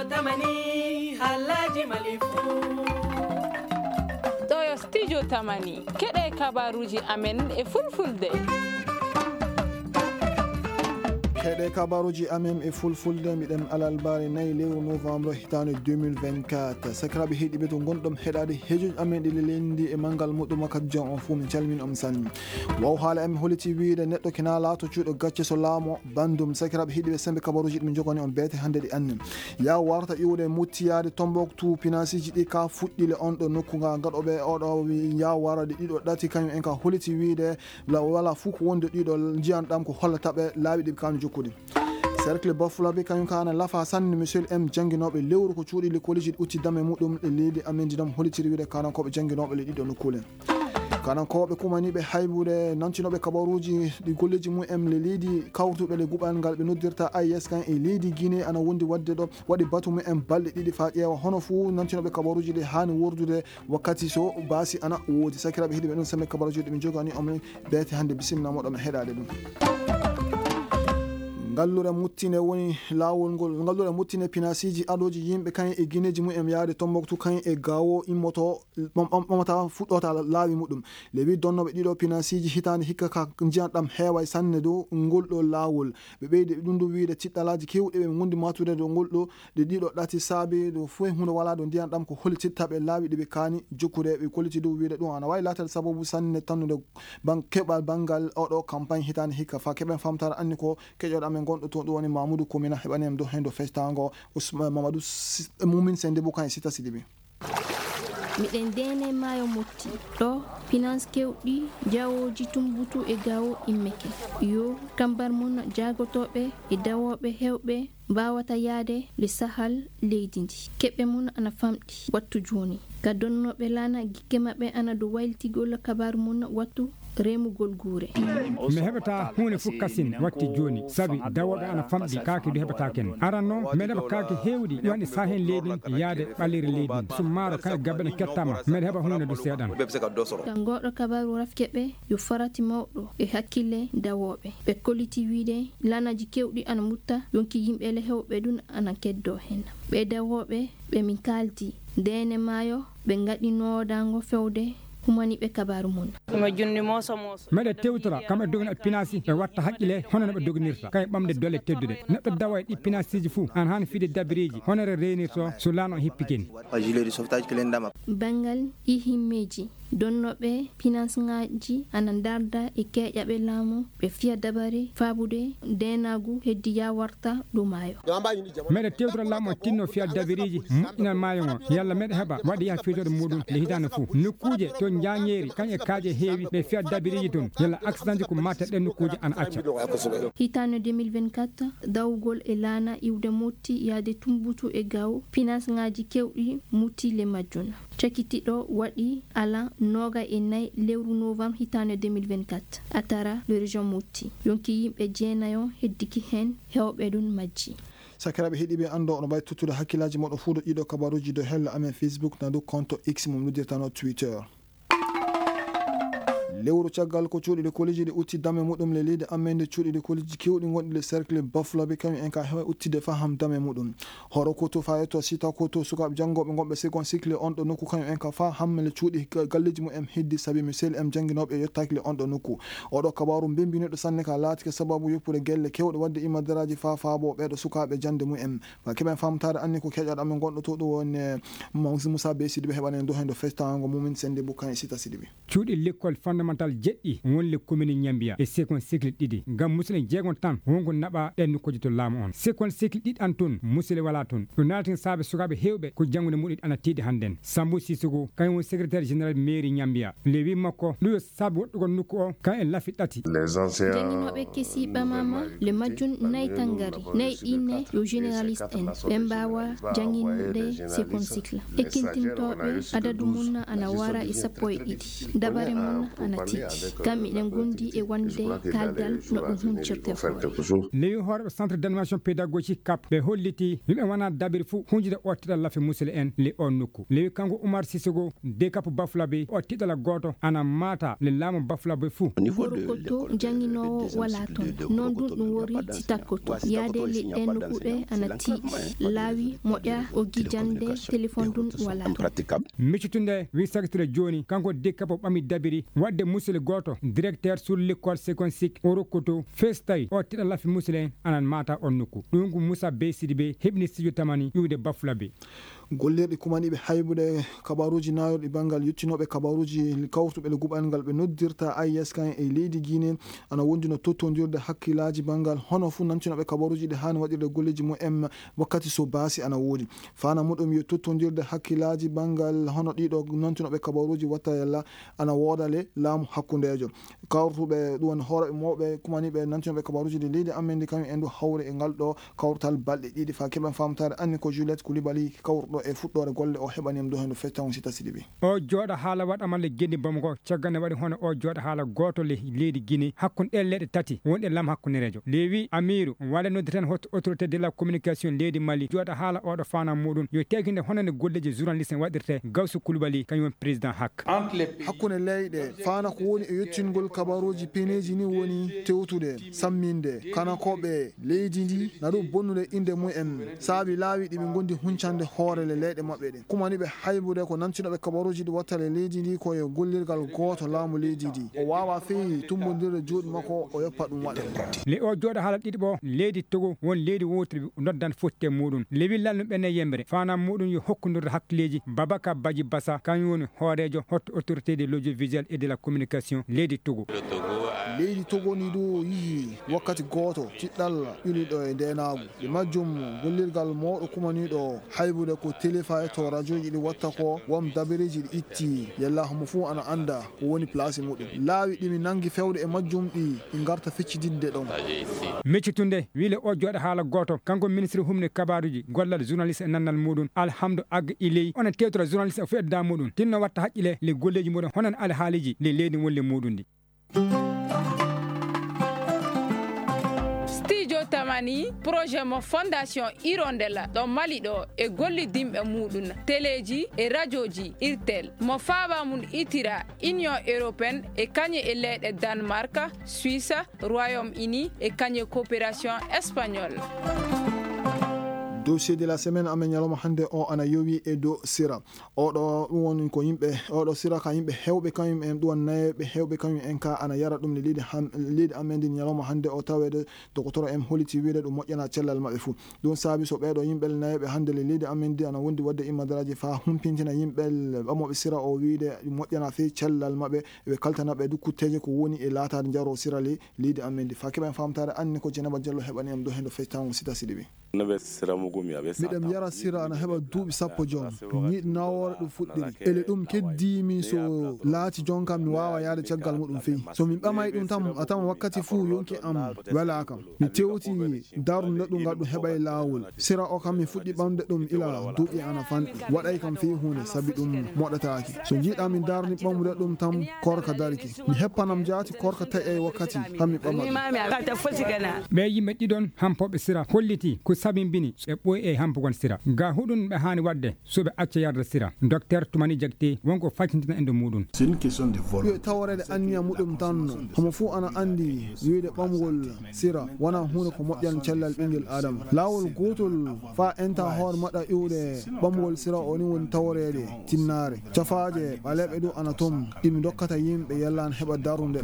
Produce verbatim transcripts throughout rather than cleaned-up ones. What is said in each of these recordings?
Tamani, halaji malifu. Ɗo yo studio Tamani. Keɗe kabaruji amen e fulfulde. Keɗe kabaruji amen e fulfulde, miɗen alalbare nayi lewru novembre hitaande deux mille vingt-quatre. Sakiraaɓe heɗiɓe to ngonɗon heɗaade hejoji amen ɗi lelendi e manngal muɗum wakkati jon on fuu, min calmin on sanne. Waw haala en holliti wiide neɗɗo kina laato cuuɗo gacce so laamo bandum. Sakiraaɓe heɗiɓe sembe kabaruji ɗi min jogani on beete hannde ɗi anni. Ya warata iwde muttiyaade Tombouctou, pinasiji ɗi ka fuɗɗile on ɗo nokku nga gaɗoɓe oɗo wi ya warade ɗiɗo ɗati kañum en ka holliti wiide la wala fuu ko wonde ɗiɗo njiyan ɗam ko hollata ɓe laawi ɗi kanu jokkude. Cercle Bafulabe kañum ka ana lafa sanne monsieur M jannginooɓe lewru ko cuuɗi likkooliji ɗi utti dame muɗum ɗe leydi amen ɗi ɗam hollitiri wiide kanankooɓe jannginooɓe le ɗiɗo nokkuule. Kanankooɓe kumaniiɓe haybude nantinooɓe kabaruuji ɗi golleeji mum en le leydi kawrutuɓe le guɓal ngal ɓe noddirta A E S kan e leydi Guinée ana wondi waɗde ɗo waɗi batu mum en balɗe ɗiɗi faa ƴeewa hono fuu nantinooɓe kabaruuji ɗi haani wordude wakkati so baasi ana woodi. Sakiraaɓe heɗiiɓe ɗum sembe kabaruuji ɗi min jogani on beete hannde bisimilla moɗon heɗaade ɗum. Ngallure muttine woni laawol ngol ngallure muttine pinasiiji adooji yimɓe kañum e gineeji mum en yaade Tombouctou kañum e Gao immoto ɓom- ɓom- ɓomata fuɗɗota laawi muɗum. Le huit donnooɓe ɗiɗo pinasiiji hitaande hikka ka njiyan ɗam heeway sanne dow ngol ɗo laawol. Ɓe ɓeydi e ɗum ɗo wiyde tiɗɗalaaji keewɗi ɓe ngondi matude dow ngol ɗo ɗe ɗiɗo ɗati saabi ɗo fof e huunde walaa ɗo ndiyan ɗam ko hollititta ɓe laawi ɗi ɓe kaani jokkude ɓe kolliti dow wiyde ɗum ana waawi laatade sababu sanne tannude ban- keɓal banngal oɗo campagne hitaande hikka fa keɓen famtare anni ko keƴoɗo amen gonɗo toon ɗum woni Mamoudou Koumina heɓani en dow heen dow festango Ousmane Mamadou Mumin Sende Boukan e Sita Sidibi. Miɗen deene maayo motti ɗo finance kewɗi jawooji tumbutu e gawo immeke yo kambar mum jaagotooɓe e dawooɓe heewɓe mbaawata yahde le sahal leydi ndi keɓe mum ana famɗi wattu jooni ka donnooɓe laana gikke maɓɓe ana dow waylitigol kabaaru mum wattu remugol guure. Mi heɓataa huunde fof kasin watti jooni sabi dawooɓe ana famɗi kaake du heɓataa ken aran noon mbeɗa heɓa kaake heewɗi ɗi woni sahen leydi ndi yaade ɓaleeri leydi ndi so maaro kañe gabbe ɗe kettaama mbeɗa heɓa huunde du seeɗan. Ka ngooɗo kabaaru rafke ɓe yo farati mawɗo e hakkille dawooɓe ɓe kolliti wiyde laanaaji keewɗi ana mutta yonki yimɓe le heewɓe ɗum ana keddoo heen ɓe dawooɓe ɓe min kaaldi ndeene maayo ɓe ngaɗi noodaango fewde humaniiɓe kabaaru mum. Meɗe tewtora kam e doginal pinaasi ɓe watta haqqile hono no ɓe doginirta kay ɓamde dole tedduɗe neɗɗo dawa e ɗi pinaasiiji fuu an haani fiide dabiriiji hono re reenirto so laano o hippi ken. Banngal ihimmeeji donnooɓe pinaasŋaaji ana ndarda e keeƴaɓe laamu ɓe fiya dabare faabude ndeenaagu heddi yawarta ɗo maayo. Meɗe tewtora laamu o tinno fiya dabiriiji moƴƴinal maayo ngo yalla meɗe heɓa waɗi yaha fewjooɗo muɗum nde hitaande fof nokkuuje to njaañeeri kañe kaaƴe heewi ɓe fiya dabiriiji toon yalla accidentji ko matte ɗen nokkuuje ana acca. Hitaande deux mille vingt-quatre dawugol e laana iwde motti yaade tumbutu e gaw pinaasŋaaji kewɗi mutti le majjuna cakitiɗo waɗi ala nooga e nayi lewru novembre hitaande deux mille vingt-quatre a tara le région motti yonki yimɓe jeenayo heddiki heen heewɓe ɗum majji. Sakiraaɓe heɗiiɓe anndo oɗo mbawi tottude hakkillaaji moɗo fuu ɗo ɗiɗo kabaruuji dow hella amen Facebook na dow konto X mum noddirtano Twitter. Lewru caggal ko cuuɗi ɗi koliji ɗi utti dame muɗum le leydi amen nde cuuɗi ɗi koliji kewɗi gonɗi le cercle bafulaɓe kañum en ka hewa uttide faham dame muɗum. Horo koto fayetto sita koto sukaaɓe janngooɓe gonɓe second cycle on ɗo nokku kañum en ka fa hammele cuuɗi galleeji mum en heddi sabi mi sel em jannginooɓe e yottaaki le on ɗo nokku. Oɗo kabaaru mbembiniɗo sanne ka laatike sababu yoppude gelle kewɗe waɗde imadaraaji fa faabo ɓeeɗo sukaaɓe jannde mum en. Fa keɓen famtaare anni ko keƴaɗo amen gonɗo to ɗo woni Moussa Bey Sidibe heɓani en dow heen dow festango mumin sende bukkan e sita Sidibe. Cuuɗi lekkol fondamental jeɗɗi wonle commune Ñambiya e second cycle ɗiɗi ngam musidɗen jeegon tan wonko naɓa ɗen nokkuuji to laamu on. Second cycle ɗiɗi an toon musile wala toon. Ɗum naalatin saabe sukaaɓe heewɓe ko janngude muɗum ana tiiɗi hannden. Sambu Sisoko kañum woni secrétaire général mairie Ñambiya. Le wi makko ɗum yo saabe woɗɗugol nokku o kañum e lafi ɗati. Jannginooɓe kesi ɓamama le majjum nayi tangari nayi ɗinne yo généraliste en ɓe mbaawa jannginde second cycle. Ekkintintoɓe adadu mum ana wara e sappo e ɗiɗi dabare mum ana Titi, kam miɗen gondi e wonde kaaldal no ɗum huncirte foore. Lewi hooreɓe centre d'animation pédagogique cap ɓe holliti yimɓe wona dabiri fuu hunjude o tiɗal lafi musule en le on nokku. Lewi kanko Umar Sisego de cap bafulabe o tiɗala gooto ana maata le laamu bafulabe fuu. Gorokoto janginoowo wala toon, noon ɗum ɗum wori si takkoto yaade le ɗen nokkuɓe ana tiiɗi laawi moƴa o gijande téléphone ɗum wala toon. Miccutunde wi sagitire jooni kanko de cap ɓami dabiri waɗde musule gooto directeur sur l'école seconde sik o rokkoto festay o tiɗa lafi musule en anan mata on nokku. Ɗum ko moussa be sidi be heɓni studio tamani iwde bafula be. Gollirɗi kumaniiɓe haybude kabaruuji naayorɗi banngal yottinooɓe kabaruuji kawrutuɓe le guɓal ngal ɓe noddirta I S K en e leydi Guinée ana wonduno tottondirde hakkillaaji banngal hono fuu nantinooɓe kabaruuji ɗi haani waɗirde golleeji mumen wakkati so baasi ana woodi. Fana muɗum yo tottondirde hakkillaaji banngal hono ɗiɗo nantinooɓe kabaruuji watta yalla ana wooda le laamu hakkundeejo. Kawrutuɓe ɗum woni hooreɓe mawɓe kumaniiɓe nantinooɓe kabaruuji ɗi leydi amen ndi kañum en du hawri e ngal ɗo kawrutal balɗe ɗiɗi fa keɓen famtaare anni ko Juliette Koulibaly kawruɗo e fuɗɗoore golle o heɓani en do hendo feccango sita siɗi ɓi. O jooɗa haala waɗa malle gendi bamako caggal ne waɗi hono o jooɗa haala gooto le leydi Guinée hakkunde ɗe leyɗe tati wonɗe lam hakkundereejo lewi amiru wala noddi tan hot autorité de la communication leydi Mali jooɗa haala oɗo fana muɗum yo teekinde hono nde golleeji journaliste en waɗirte gawsu Koulibaly kañum woni président hak. Hakkunde leyɗe fana ko woni e yottingol kabaruuji peneeji ni woni tewtude samminde kanakoɓe leydi ndi na ɗum bonnude innde mumen saabi laawi ɗi ɓe ngondi huncande hoore le leyɗe maɓɓe ɗen kumaniɓe haybude ko nantinooɓe kabaruuji ɗi wattale leydi ndi ko e gollirgal gooto laamu leydi ndi o waawa feyi tumbondirde juuɗe makko o yoppa ɗum waɗa. Le o jooɗa haala ɗiɗi ɓo leydi Togo won leydi wowtiri noddan fotte muɗum lewi lalnu ɓenne yembre fanam muɗum yo hokkundirde hakkileeji Babaka Baji Basa kañum woni hooreejo hotto autorité de l'audiovisuel et de la communication leydi Togo. Leydi Togo ni ɗo yihi wakkati gooto tiɗɗal ɓiliɗo e ndenaagu e majjum gollirgal mawɗo kumaniiɗo haybude ko téléfa e to rajoji ɗi watta ko wam dabereji ɗi itti yalla homo fuu ana annda ko woni place muɗum laawi ɗimi nangi fewde e majjum ɗi ɗi ngarta feccididde ɗon. Meccitunde wile o jooɗa haala gooto kanko ministre humne kabaruji gollal journaliste e nannal muɗum alhamdu ag iley ona tewtora journaliste e fuɗedda muɗum tinno watta haqqile le golleji muɗum honan alhaaliji le leydi wolle muɗum ndi. Studio Tamani projet mo fondation Hirondelle ɗo Mali ɗo e gollidinɓe muɗum teleji e rajoji irtel mo faaba mum itira Union européenne e kañe e leyɗe Danemark, Suisse, Royaume Uni e kañe coopération espagnole. Dossier de la semaine amen ñalawma hannde o ana yowi e dow sira. Oɗo ɗum woni ko yimɓe oɗo sira ka yimɓe hewɓe kañum en ɗum woni nayeɓe hewɓe kañum en ka ana yara ɗum ne leydi ham- leydi amen ndi ñalawma hannde o taweede dogotoro en holiti wiide ɗum moƴƴana cellal maɓɓe fuu. Ɗum saabi so ɓeeɗo yimɓe nayeɓe hannde le leydi amen ndi ana wondi waɗde immadaraaji faa humpintina yimɓe ɓamooɓe sira o wiide ɗum moƴƴana fey cellal maɓɓe ɓe kaltana ɓe du kutteeje ko woni e laataade njaro sira le leydi amen ndi faa keɓen famtaare anni ko Jenaba Jallo heɓani am ɗo hendo fectango sita siɗi ɓi. Miɗen yara sira ana heɓa duuɓi sappo joom. Ñiiɗ nawoore ɗum fuɗɗiri. Ele ɗum keddii min so laati jon kam mi waawa yaade caggal muɗum fey. So min ɓamay ɗum tan a tama wakkati fuu yonki am welaa kam. Mi tewti darnde ɗum ngal ɗum heɓay laawol. Sira o kam mi fuɗɗi ɓamde ɗum ila duuɓi ana fanɗi. Waɗay kam fey huunde sabi ɗum moɗataaki. So njiiɗaa min darni ɓamude ɗum tan korka darki. Mi heppanam jaati korka taƴay wakkati kam mi ɓama ɗum. Ɓe yimɓe ɗiɗon hampooɓe sira holliti ko sabimbini ɓe ɓooyi e hampugol sira ga huɗun ɓe haani waɗde so ɓe acca yarde sira. Docteur Tumani Jagte wonko faccindina e ndo muɗum. Yo taworeede anniya muɗum tan homo fuu ana anndi wiide ɓamugol sira wona huunde ko moƴƴan cellal ɓinngel adama laawol gootol faa enta hoore maɗa iwde ɓamugol sira o ni woni taworeede tinnaare cafaaje ɓaleeɓe du ana toon ɗimi dokkata yimɓe yallaan heɓa darunde.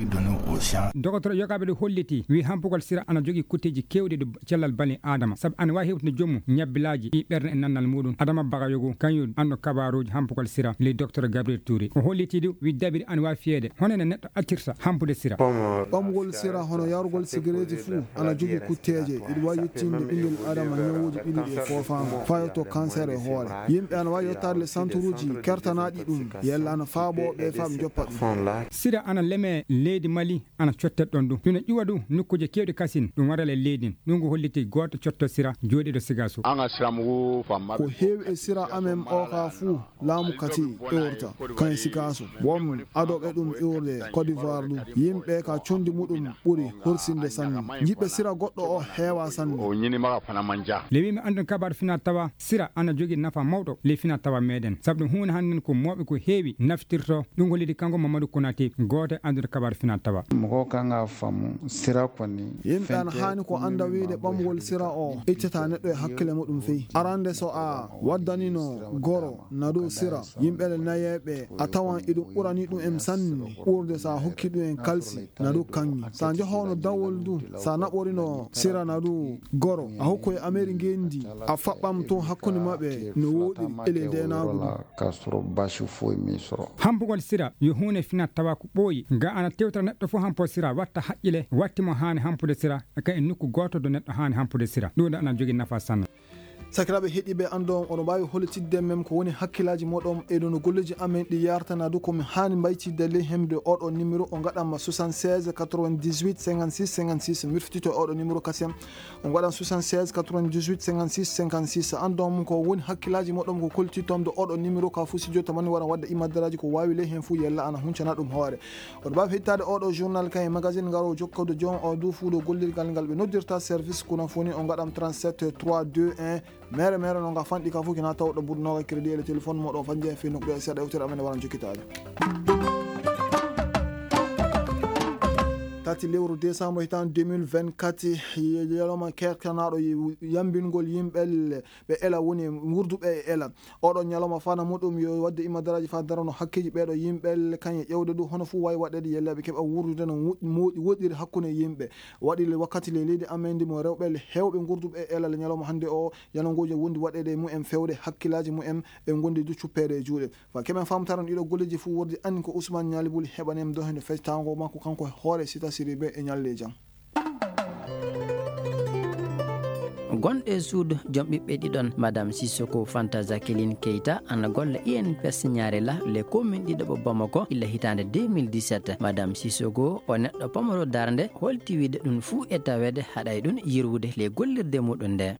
Dogotoro yogaaɓe ɗo holliti wi hampugol sira ana jogii kutteeji keewɗi ɗo cellal bani adama sabu ana waawi hewtude joomum ñabbilaaji ɗi ɓernde e nannal muɗum adama bagayogo kañum anno kabaruuji hampugol sira ley docteur gabriel touré o holliti ɗum wi dabiri ana waawi fiyeede hono no neɗɗo accirta hampude sira. Ɓamugol sira hono yarugol sigareeti fuu ana jogii kutteeje iɗi waawi yettinde ɓinngel adama ñawuuji ɓiliɗi e foofaango faa yetto cancer e hoore yimɓe ana waawi yettaade le santuruuji kertanaaɗi ɗum yella ana faaboo ɓe faa ɓe njoppa ɗum. Sira ana leme leydi mali ana cottet ɗon ɗum ina ƴuwa ɗum nokkuuje keewɗi kasin ɗum waral e leydi ɗum ko holliti gooto cotto sira jooɗiiɗo siga. An ka siramugu fanba ko heewi e sira amen o ka fuu laamu kati iwrta kan e sikaaso won adooɓe ɗum iwrde Côte d'Ivoire ɗum yimɓe ka condi muɗum ɓuri horsinde sanne. Jiɓɓe sira goɗɗo o heewa sanne. O ñini maga fana manja. Le wiimi anndon kabar fina tawa sira ana jogi nafa mawɗo le fina tawa meɗen sabu ɗum huunde hannden ko mooɓe ko heewi naftirto. Ɗum ko leydi kanko Mamadou Konaté gooto e anndude kabar fina tawa. Mogo kanga famu sira koni yimɓe ana haani ko annda wiide ɓamgol sira o ittata neɗɗo e hakkille muɗum fey. Arande so a waddanino goro na dow sira yimɓe le nayeɓe a tawan iɗum ɓurani ɗum en sanne ɓurde sa hokki ɗum en kalsi na dow kanŋe sa johono dawol du sa naɓorino sira na dow goro a hokkoye ameri ngendi a faɓɓam to hakkunde maɓɓe no woɗiri ele ndenagol. Ka soro basi fof mi soro. Hampugol sira yo huunde finat tawa ko ɓooyi ga ana tewtata neɗɗo fof hampo sira watta haqqile watti mo haani hampude sira ka e nokku gooto do neɗɗo haani hampude sira ɗum ɗo ana jogi nafa sanne. Sakiraaɓe heɗiiɓe anndo on oɗo mbaawi hollitidde men ko woni hakkillaaji moɗon e ɗo no golleeji amen ɗi yartana du ko mi haani mbaytidde ley hemde oɗo numéro o ngaɗanma soixante-seize quatre-vingt-dix-huit cinquante-six cinquante-six mirfitito e oɗo numéro kasem. On waɗan soixante-seize quatre-vingt-dix-huit cinquante-six cinquante-six anndon ko woni hakkillaaji moɗon ko koltitom de oɗo numéro ka fuu si jotta mani waran wadde imaddaraaji ko waawi ley heen fuu yella ana huncana ɗum hoore. Oɗo mbaawi heɗitaade oɗo journal kan e magazine ngaro jokkodo joom o du fuuɗo gollirgal ngal ɓe noddirta service kuna fuu ni on ngaɗam trente-sept trois deux un. Mere mere no nga fanɗi ka fuu kina tawɗo budnoga crédit e le téléphone moɗo fanje fi nokɗo e seeɗa yewtere amen waran jokkitaade. Tati lewru décembre hitan deux mille vingt-quatre yaloma kerkanaɗo yambingol yimɓe ɓe ela woni wurduɓe e ela. Oɗo ñalawma fana muɗum yo wadde imadaraji fa darano hakkeji ɓeɗo yimɓe kañe ƴewde ɗum hono fuu wawi waɗede yelleɓe keɓa wurdude no moƴƴi woɗɗiri hakkunde yimɓe. Waɗi le wakkati le leydi amen ndi mo rewɓe hewɓe gurduɓe e ela le ñalawma hannde o yanangoji wondi waɗede e mumen fewde hakkillaji mumen. Ɓe gondi du cuppeede e juuɗe fa kemen famtaron ɗiɗo golleji fuu wordi anni ko Ousmane Ñaali Buli heɓanem dohende fectango makko kanko hoore Sita Siribe e ñalde jam. Gonɗo e suudu joom ɓiɓɓe ɗiɗon, Madame Sissoko Fanta Jacqueline Keita, ana golla I N P S Ñaarela, les communes ɗiɗo ɓo Bamako, illa hitaande deux mille dix-sept. Madame Sissoko, o neɗɗo pamaro darnde, holti wiide ɗum fuu e taweede haɗay ɗum yirwude les gollirde muɗum nde.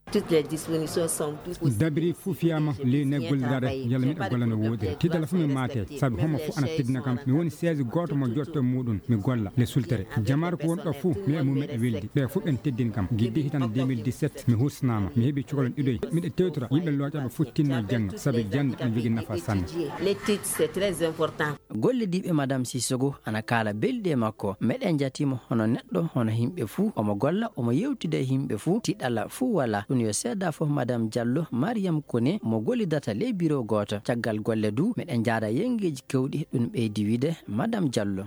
Dabiri fuu fiyaama ley ne golliraade yalla miɗa golla no wooɗiri tiiɗalla fuu mi maate sabi homo fuu ana teddina kam mi woni seesi gooto mo jotto e muuɗum mi golla le sultere jamaare ko woni ɗo fuu mi e mum meɗa weldi ɓe fuu ɓen teddini kam giddi hitande deux mille dix-sept mi hursanaama mi heɓi cukalon ɗiɗoy miɗa tewtora yimɓe looƴaaɓe fuu tinno jannga sabi jannde ene jogii nafa sanne. Gollidiiɓe Madame Sissoko ana kaala belɗi e makko. Meɗen njatiimo hono neɗɗo, hono yimɓe fuu. Omo golla, omo yeewtida e yimɓe fuu. Tiiɗalla fuu walaa. Ɗum yo seedaa fof Madame Diallo, Mariam Kone, mo gollidata ley biro gooto. Caggal golle du, meɗen njaada yenngeeji keewɗi. Ɗum ɓeydi wiide Madame Diallo.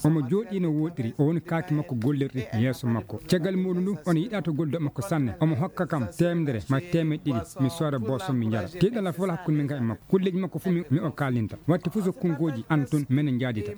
Omo jooɗii no wooɗiri, o woni kaaki makko gollirɗi yeeso makko. Caggal muuɗum ɗum, omo yiɗa to golluɗo makko sanne. Omo hokka kam teemedere ma teemeɗe ɗiɗi, mi sooda boosom mi njara. Tiiɗalla fof alaa hakkunde min kam e makko. Kulleeji makko fof mi o kaalinta. Waɗti fof so konngooji an toon menen njaadita.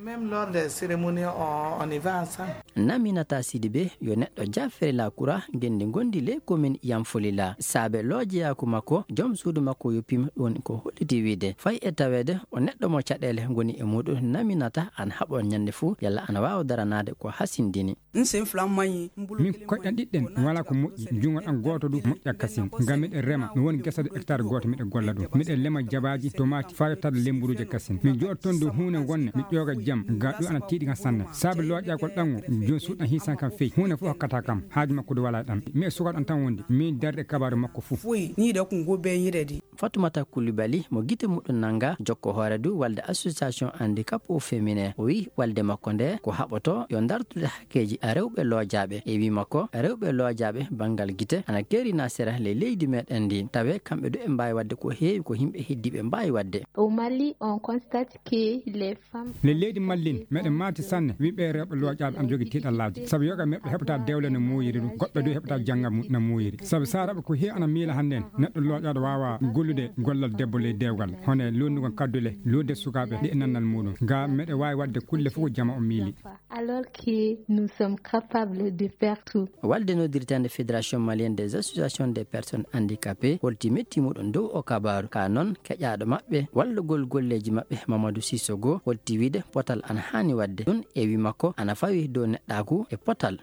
Naminata Sidibe yo neɗɗo jaafere la kura ngenndi ngonndi ley komin Yamfolila. Saabe loojeyaaku makko, joom suudu makko yoppima ɗum ko holliti wiide. Fay e taweede o neɗɗo mo caɗeele ngoni e muuɗum naminata ana haɓoo ñannde fof yalla ana waawa daranaade ko hasindini. Min koyɗan ɗiɗɗen wala ko moƴƴi, junngo ɗan gooto du moƴƴa kasin. Ngam miɗen rema, mi woni gesa du hectare gooto miɗen golla ɗum. Miɗen lema jabaaji, tomaati, faa yottaade lemmburuuje kasin. Mi jooɗo toon dow huunde wonne, mi ƴooga jam, ga ɗum ana tiiɗi kam sanne. Saabe looƴaagol ɗan o, jooni suuɗan hiisan kam fey. Huunde fof hokkata kam, haaju makko du wala ɗan. Mi e sukaaɗo an tan wondi, miin darde kabaaru makko fof. Foy, nii ɗo ko ngoo beeñiredi. Fatumata Kulibali mo gite muɗum nannga jokko hoore du walde association handicap au féminin o wi walde makko nde ko haɓoto yo dartude hakkeeji rewɓe loojaaɓe e wi makko rewɓe loojaaɓe banngal gite ana keerina sera ley leydi meɗen ndi tawe kamɓe du ɓe mbaawi waɗde ko heewi ko yimɓe heddiiɓe mbaawi waɗde. Au Mali, on constate que les femmes. Ley leydi Mallin meɗen maati sanne wimɓe rewɓe loojaaɓe ana jogi tiiɗallaaji sabu yoga meɓɓe heɓata dewle no muuyiri ɗum goɗɓe du heɓata jannga no muuyiri sabu saraɓe ko heewi ana miila hannden neɗɗo looƴaaɗo waawa gollude gollal debbo ley dewgal hono e lonnugol kaddule lodde sukaaɓe ɗi e nannal muuɗum. Ga meɗe wawi wadde kulle fof ko jama o miili. Alors que nous sommes capables de faire tout. Walde noddirtande Fédération Malienne des Associations des Personnes Handicapées holti metti muɗum dow o kabaru, ka noon keƴaɗo maɓɓe wallugol golleji maɓɓe Mamadou Sissogo holti wiide potal ana hani wadde ɗum e wi makko ana fawi dow neɗɗaku e potal.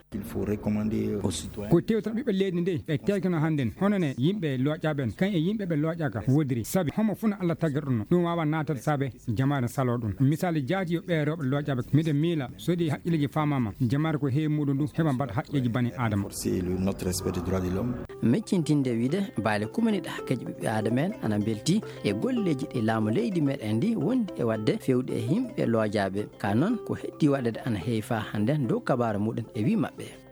Ko tewtal ɓiɓɓe leydi nde ɓe tewtino hannden hono ne yimɓe looƴaaɓe en kan e yimɓe ɓe looƴaaka wodiri sabi homo funa Allah tagirɗo no ɗum waawa naatata saabe jamaare saloo ɗum. Misali jaati yo ɓee rewɓe looƴaaɓe miɗo miila so ɗi haqqilleeji faamaama jamaare ko heewi muɗum ɗum heɓa mbaɗa haqqeeji bani aadama. Meccintinde wiide baale kumaniɗe hakkeeji ɓiɓɓe aadama en ana mbelti e golleeji ɗi laamu leydi meɗen ndi wondi e waɗde fewde e yimɓe looƴaaɓe ka noon ko heddi waɗede ana heewi faa hannden dow kabaara muɗum e wi maɓɓe.